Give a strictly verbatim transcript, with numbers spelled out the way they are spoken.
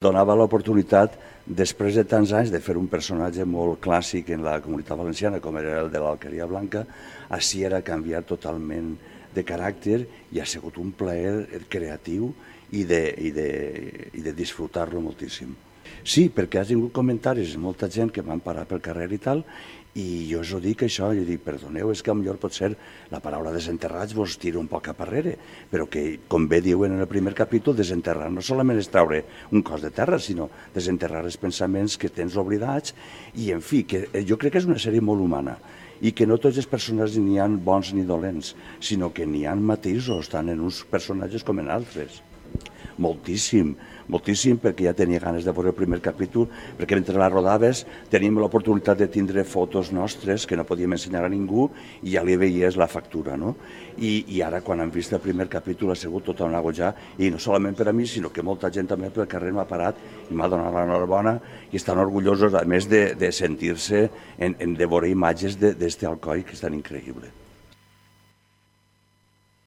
Donava l'oportunitat, després de tants anys, de fer un personatge molt clàssic en la Comunitat Valenciana, com era el de l'Alqueria Blanca, així era canviar totalment de caràcter i ha sigut un plaer creatiu i de, i de, i de disfrutar-lo moltíssim. Sí, perquè has tingut comentaris de molta gent que van parar pel carrer i tal, i jo us ho dic això, jo dic, perdoneu, és que potser potser la paraula desenterrats vos tira un poc a darrere, però que, com bé diuen en el primer capítol, desenterrar no solament és treure un cos de terra, sinó desenterrar els pensaments que tens oblidats, i en fi, que jo crec que és una sèrie molt humana, i que no tots els personatges n'hi ha bons ni dolents, sinó que n'hi ha matisos, tant en uns personatges com en altres. Moltíssim, moltíssim, perquè ja tenia ganes de veure el primer capítol, perquè mentre la rodaves teníem l'oportunitat de tindre fotos nostres que no podíem ensenyar a ningú i ja li veies la factura, no? I, i ara, quan hem vist el primer capítol, ha sigut tot un agojar, i no solament per a mi, sinó que molta gent també pel carrer m'ha parat i m'ha donat l'enhorabona i estan orgullosos, a més de, de sentir-se en, en de veure imatges d'este Alcoi, que és tan increïble.